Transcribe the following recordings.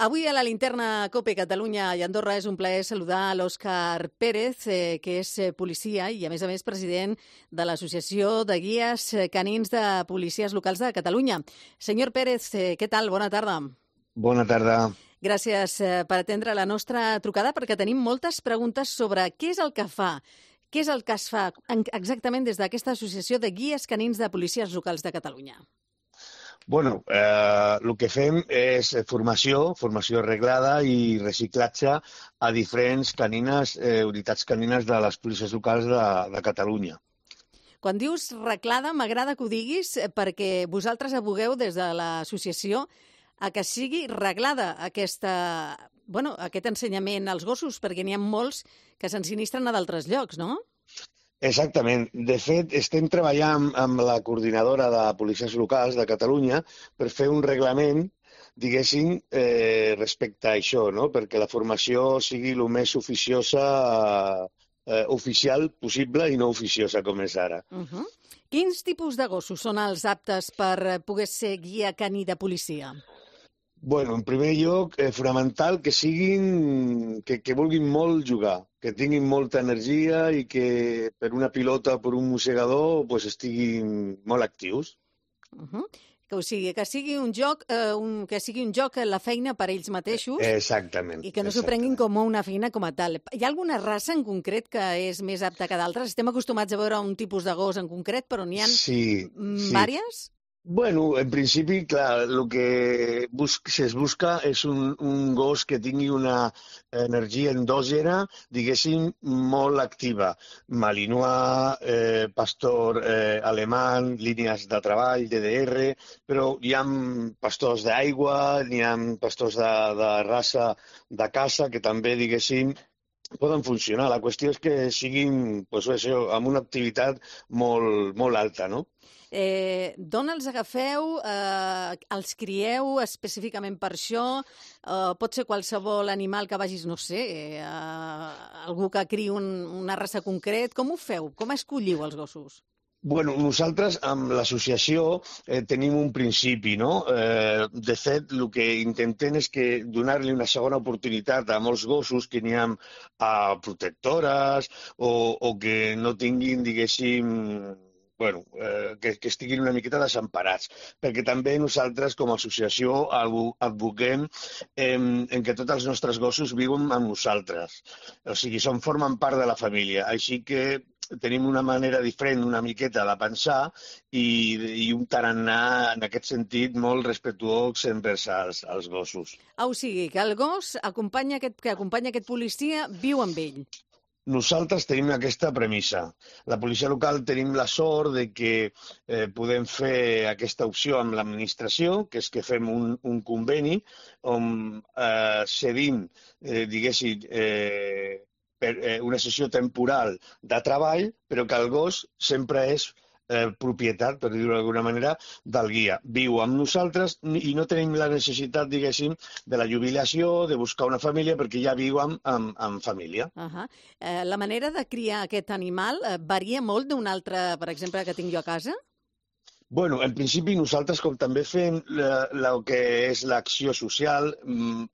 Avui a la linterna COPE Catalunya i Andorra és un plaer saludar l'Òscar Pérez, que és policia i, a més, president de l'Associació de Guies Canins de Policies Locals de Catalunya. Senyor Pérez, què tal? Bona tarda. Bona tarda. Gràcies per atendre la nostra trucada, perquè tenim moltes preguntes sobre què és el que fa, què és el que es fa exactament des d'aquesta Associació de Guies Canins de Policies Locals de Catalunya. Bueno, el que fem és formació reglada i reciclatge a diferents unitats canines de les policies locals de Catalunya. Quan dius reglada, m'agrada que ho diguis perquè vosaltres advogueu des de l'associació a que sigui reglada aquest ensenyament als gossos, perquè n'hi ha molts que s'ensinistren a d'altres llocs, no? Exactament. De fet, estem treballant amb la coordinadora de policies locals de Catalunya per fer un reglament, diguéssim, respecte a això, no? Perquè la formació sigui el més oficial possible i no oficiosa com és ara. Quins tipus de gossos són els aptes per poder ser guia caní de policia? Bueno, en primer lloc, fonamental que vulguin molt jugar, que tinguin molta energia i que per una pilota o per un mossegador estiguin molt actius. Que sigui un joc a la feina per ells mateixos. Exactament. I que no s'ho prenguin com una feina com a tal. Hi ha alguna raça en concret que és més apta que d'altres? Estem acostumats a veure un tipus de gos en concret, però n'hi ha diverses? Bueno, en principi, clar, el que es busca és un gos que tingui una energia endògena, diguéssim, molt activa. Malinois, pastor alemany, línies de treball, DDR, però hi ha pastors d'aigua, hi ha pastors de raça de casa que també, diguéssim, poden funcionar. La qüestió és que siguin amb una activitat molt alta, no? D'on els agafeu? Els crieu específicament per això? Pot ser qualsevol animal que vagis, no sé, algú que criï una raça concret. Com ho feu? Com escolliu els gossos? Bueno, nosaltres amb l'associació tenim un principi, no? De fet, el que intentem és donar-li una segona oportunitat a molts gossos que n'hi ha protectores o que no tinguin, diguéssim, que estiguin una miqueta desemparats, perquè també nosaltres com a associació advoquem en que tots els nostres gossos viuen amb nosaltres, o sigui, formen part de la família, així que tenim una manera diferent una miqueta de pensar i un tarannà en aquest sentit molt respectuós envers els gossos. O sigui, que el gos que acompanya aquest policia viu amb ell. Nosaltres tenim aquesta premissa. La policia local tenim la sort de que podem fer aquesta opció amb l'administració, que és que fem un conveni on cedim, diguéssim, per una sessió temporal de treball, però que el gos sempre és propietat, per dir-ho d'alguna manera, del guia. Viu amb nosaltres i no tenim la necessitat, diguéssim, de la jubilació, de buscar una família, perquè ja viu amb família. La manera de criar aquest animal varia molt d'un altre, per exemple, que tinc jo a casa? Bueno, en principi nosaltres, com també fem el que és l'acció social,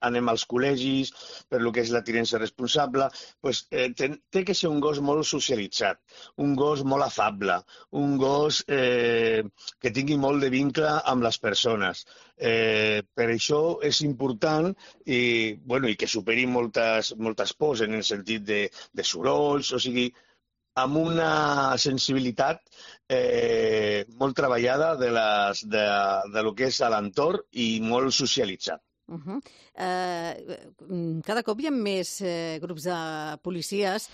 anem als col·legis, per el que és la tinença responsable, té que ser un gos molt socialitzat, un gos molt afable, un gos que tingui molt de vincle amb les persones. Per això és important i que superi moltes pors en el sentit de sorolls, o sigui, amb una sensibilitat molt treballada de lo que és l'entorn i molt socialitzat. Cada cop hi ha més grups de policies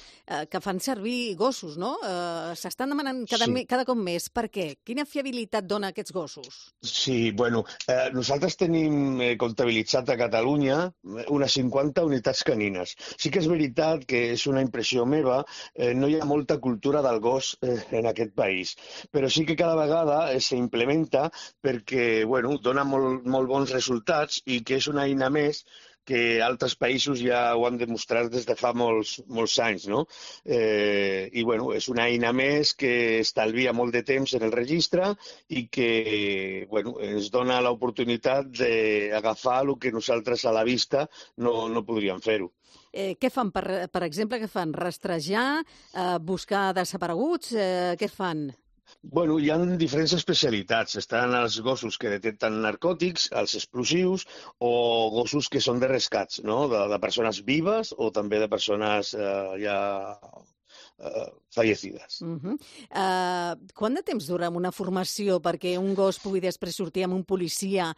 que fan servir gossos, no? S'estan demanant cada cop més. Per què? Quina fiabilitat dona aquests gossos? Sí, nosaltres tenim comptabilitzat a Catalunya unes 50 unitats canines. Sí que és veritat que és una impressió meva, no hi ha molta cultura del gos en aquest país, però sí que cada vegada s'implementa perquè dona molt bons resultats i que és és una eina més que altres països ja ho han demostrat des de fa molts anys, no? I, bueno, és una eina més que estalvia molt de temps en el registre i que, bueno, ens dona l'oportunitat d'agafar el que nosaltres a la vista no podríem fer-ho. Què fan, per exemple, què fan? Rastrejar, buscar desapareguts? Què fan? Bueno, hi ha diferents especialitats. Estan els gossos que detecten narcòtics, els explosius, o gossos que són de rescats, no? De persones vives o també de persones ja fallecides. Quant de temps dura una formació perquè un gos pugui després sortir amb un policia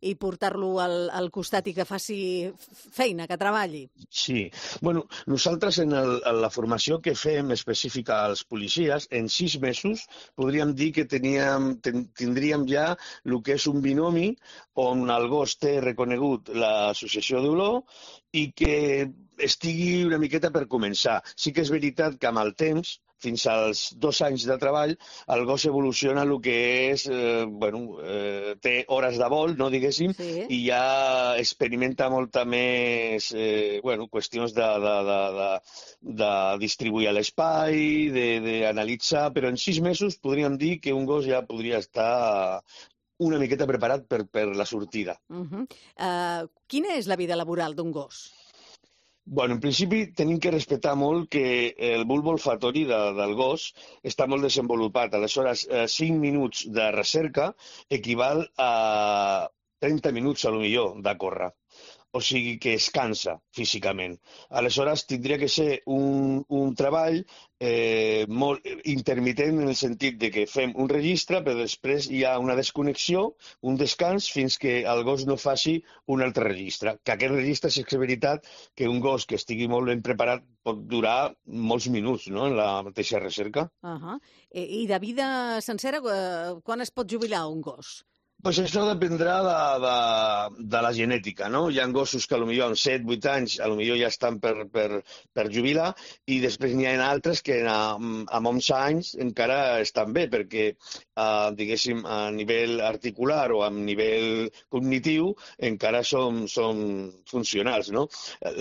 i portar-lo al costat i que faci feina, que treballi? Sí. Bueno, nosaltres en la formació que fem específica als policies, en 6 mesos podríem dir que tindríem ja el que és un binomi on el gos té reconegut l'associació d'olor i que estigui una miqueta per començar. Sí que és veritat que amb el temps, fins als 2 anys de treball, el gos evoluciona el que és, té hores de vol, no diguéssim, Sí. I ja experimenta molta més, qüestions de distribuir l'espai, d'analitzar, però en 6 mesos podríem dir que un gos ja podria estar una miqueta preparat per la sortida. Quina és la vida laboral d'un gos? Bueno, en principi tenim que respectar molt que el bulb olfatori del gos està molt desenvolupat. Aleshores, 5 minuts de recerca equival a 30 minuts, a lo millor, de córrer. O sigui que es cansa físicament. Aleshores, tindria que ser un treball molt intermitent en el sentit de que fem un registre, però després hi ha una desconnexió, un descans, fins que el gos no faci un altre registre. Que aquest registre, si és veritat que un gos que estigui molt ben preparat pot durar molts minuts, no?, en la mateixa recerca. I de vida sencera, quan es pot jubilar un gos? Pues això dependrà de la genètica, no? Hi ha gossos que potser amb 7-8 anys potser ja estan per jubilar i després n'hi ha altres que amb 11 anys encara estan bé perquè, diguéssim, a nivell articular o a nivell cognitiu encara són funcionals, no?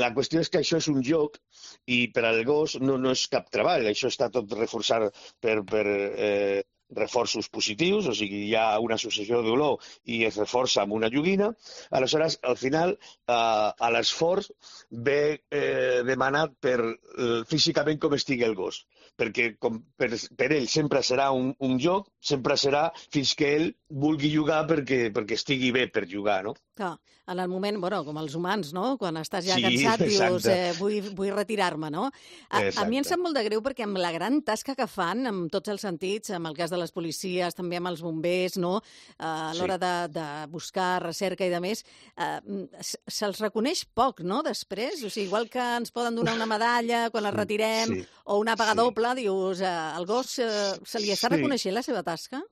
La qüestió és que això és un joc i per al gos no és cap treball, això està tot reforçat per reforços positius, o sigui, hi ha una associació d'olor i es reforça amb una joguina. Aleshores, al final, l'esforç ve demanat per físicament com estigui el gos, perquè per ell sempre serà un joc, sempre serà fins que ell vulgui jugar perquè estigui bé per jugar, no? Clar, en el moment, com els humans, no? Quan estàs ja Sí, cansat, dius, exacte. vull retirar-me, no? A mi em sap molt de greu perquè amb la gran tasca que fan, en tots els sentits, amb el cas de les policies, també amb els bombers, no? A l'hora de buscar recerca i de més, se'ls reconeix poc, no?, després. O sigui, igual que ens poden donar una medalla quan la retirem o una paga doble, dius, al gos se li està reconeixent la seva tasca?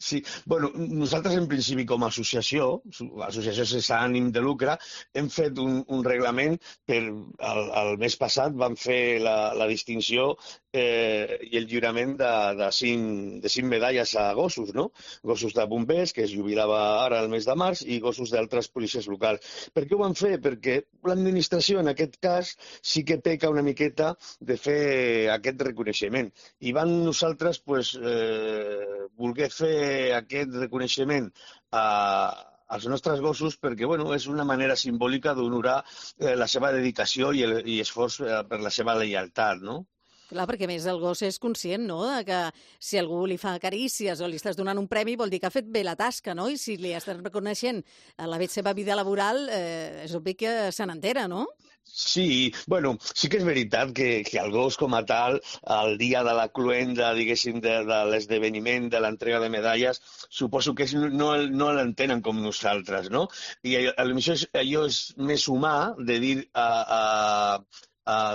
Sí, bueno, nosaltres en principi com a associació sense ànim de lucre, hem fet un reglament el mes passat vam fer la distinció i el lliurament de 5 medalles a gossos, no? Gossos de bombers, que es jubilava ara el mes de març, i gossos d'altres policies locals. Per què ho van fer? Perquè l'administració, en aquest cas, sí que peca una miqueta de fer aquest reconeixement. I van nosaltres voler fer aquest reconeixement als nostres gossos perquè és una manera simbòlica d'honorar la seva dedicació i esforç per la seva lleialtat, no? Clar, perquè a més el gos és conscient, no?, de que si algú li fa carícies o li estàs donant un premi vol dir que ha fet bé la tasca, no? I si li estàs reconeixent la seva vida laboral, és obvi que se n'entera, no? Sí, sí que és veritat que el gos com a tal, el dia de la cluenda, diguéssim, de l'esdeveniment, de l'entrega de medalles, suposo que no l'entenen com nosaltres, no? I potser allò és més humà de dir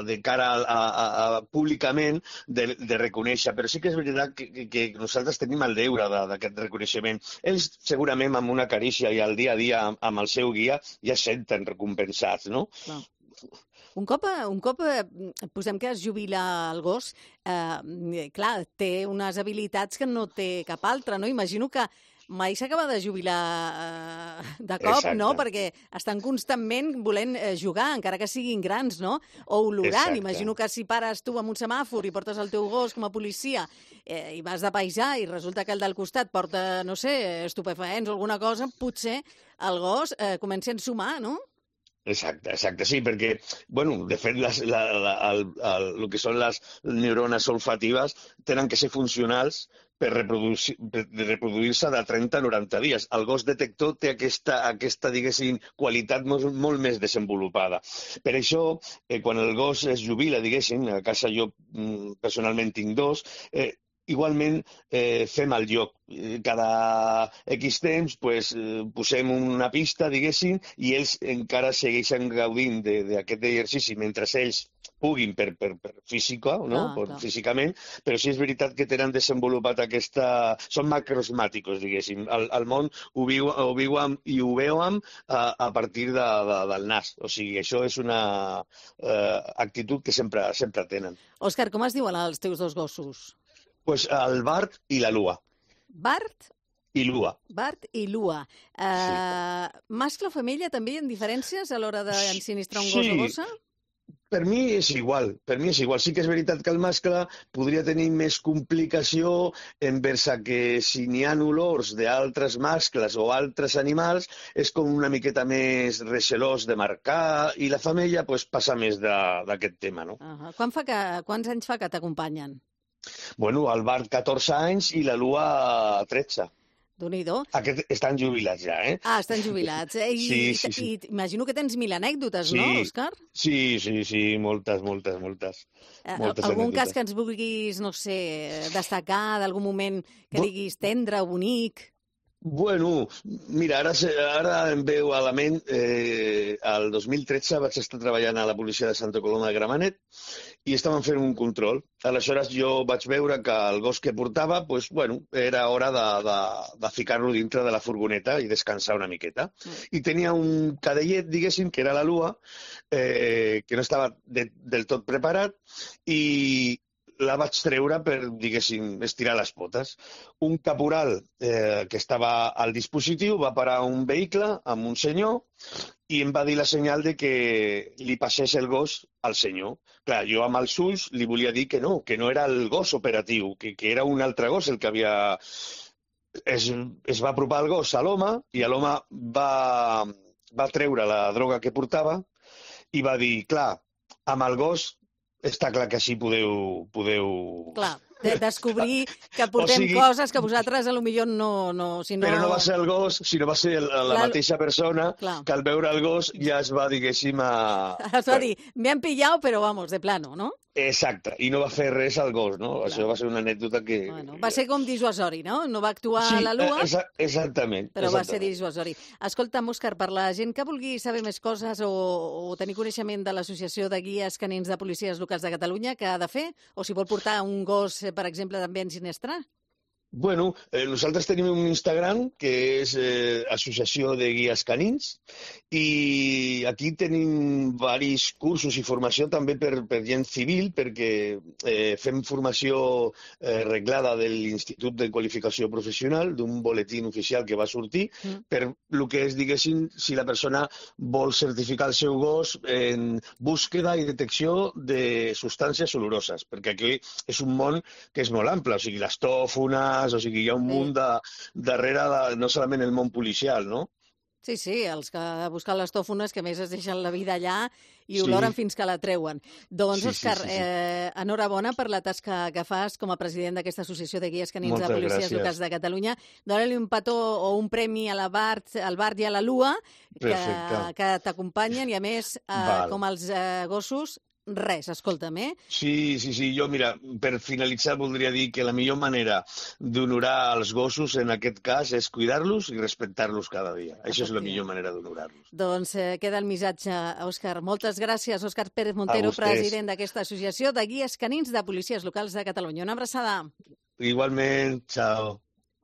de cara a públicament de reconèixer, però sí que és veritat que nosaltres tenim el deure d'aquest reconeixement. Ells segurament amb una carícia i al dia a dia amb el seu guia ja es senten recompensats, no? Clar. Un cop posem que es jubila el gos, clar, té unes habilitats que no té cap altre, no? Imagino que mai s'acaba de jubilar de cop, Exacte. no? Perquè estan constantment volent jugar, encara que siguin grans, no? O olorant. Exacte. Imagino que si pares tu amb un semàfor i portes el teu gos com a policia i vas de paisà i resulta que el del costat porta, no sé, estupefaents o alguna cosa, potser el gos comença a ensumar, no? Exacte, sí, perquè, bueno, de fet, el que són les neurones olfatives tenen que ser funcionals per reproduir-se de 30 a 90 dies. El gos detector té aquesta diguéssim, qualitat molt més desenvolupada. Per això, quan el gos es jubila, diguéssim, a casa jo personalment tinc dos, igualment fem el joc. Cada X temps posem una pista, diguéssim, i ells encara segueixen gaudint d'aquest exercici mentre ells puguin per física, no? Físicament, però sí és veritat que tenen desenvolupat són macrosmàticos, diguéssim. El món ho viuen i ho veuen a partir del nas. O sigui, això és una actitud que sempre tenen. Òscar, com es diuen els teus dos gossos? Pues el Bart i la Lua. Bart? I Lua. Bart i Lua. Mascle o femella també hi ha diferències a l'hora d'ensinistrar un gos o gossa? Per mi és igual. Sí que és veritat que el mascle podria tenir més complicació envers que si n'hi ha olors d'altres mascles o altres animals és com una miqueta més recelós de marcar i la femella passa més d'aquest tema, no? Quants anys fa que t'acompanyen? Bueno, el Bart 14 anys i la Lua 13. Déu-n'hi-do. Aquests estan jubilats ja, eh? Ah, estan jubilats. Sí. I imagino que tens 1000 anècdotes, no, Òscar? Sí, moltes. Algun cas que ens vulguis, no sé, destacar d'algun moment que diguis tendre o bonic? Bueno, mira, ara em veu a la ment, el 2013 vaig estar treballant a la policia de Santa Coloma de Gramenet i estàvem fent un control. Aleshores jo vaig veure que el gos que portava, era hora de ficar-lo dintre de la furgoneta i descansar una miqueta. I tenia un cadellet, diguéssim, que era la Lua, que no estava del tot preparat i la vaig treure per, diguéssim, estirar les potes. Un caporal que estava al dispositiu va parar un vehicle amb un senyor i em va dir la senyal de que li passés el gos al senyor. Clar, jo amb els ulls li volia dir que no era el gos operatiu, que era un altre gos el que havia... Es va apropar el gos a l'home i l'home va treure la droga que portava i va dir, clar, amb el gos està clar que així podeu... Clar, descobrir que portem coses que vosaltres potser no... Però no va ser el gos, sinó va ser la mateixa persona que al veure el gos ja es va, diguéssim, Es va dir, me han pillado, però vamos, de plano, no? Exacte, i no va fer res al gos, no? Clar. Això va ser una anècdota que... Va ser com dissuasori, no? No va actuar a la Lua, exactament. Però va ser dissuasori. Escolta'm, Òscar, per la gent que vulgui saber més coses o tenir coneixement de l'Associació de Guies Canins de Policies Locals de Catalunya, què ha de fer? O si vol portar un gos, per exemple, també a ensinistrar? Bueno, nosaltres tenim un Instagram que és Associació de Guies Canins i aquí tenim varis cursos i formació també per gent civil perquè fem formació reglada de l'Institut de Qualificació Professional d'un boletín oficial que va sortir per el que és, diguéssim, si la persona vol certificar el seu gos en búsqueda i detecció de substàncies oloroses, perquè aquí és un món que és molt ample, o sigui, les tòfones, o sigui, hi ha un munt darrere, no solament el món policial, no? Sí, els que busquen les tòfones, que més es deixen la vida allà i oloren fins que la treuen. Doncs, Òscar, enhorabona per la tasca que fas com a president d'aquesta Associació de Guies Canins de Policies Locals de Catalunya. Dóna-li un petó o un premi al Bart i a la Lua, que t'acompanyen, i a més, com els gossos, res, escolta'm, Sí, jo, mira, per finalitzar voldria dir que la millor manera d'honorar els gossos en aquest cas és cuidar-los i respectar-los cada dia. Això és la millor manera d'honorar-los. Doncs queda el missatge, Òscar. Moltes gràcies, Òscar Pérez Montero, president d'aquesta Associació de Guies Canins de Policies Locals de Catalunya. Una abraçada. Igualment, ciao.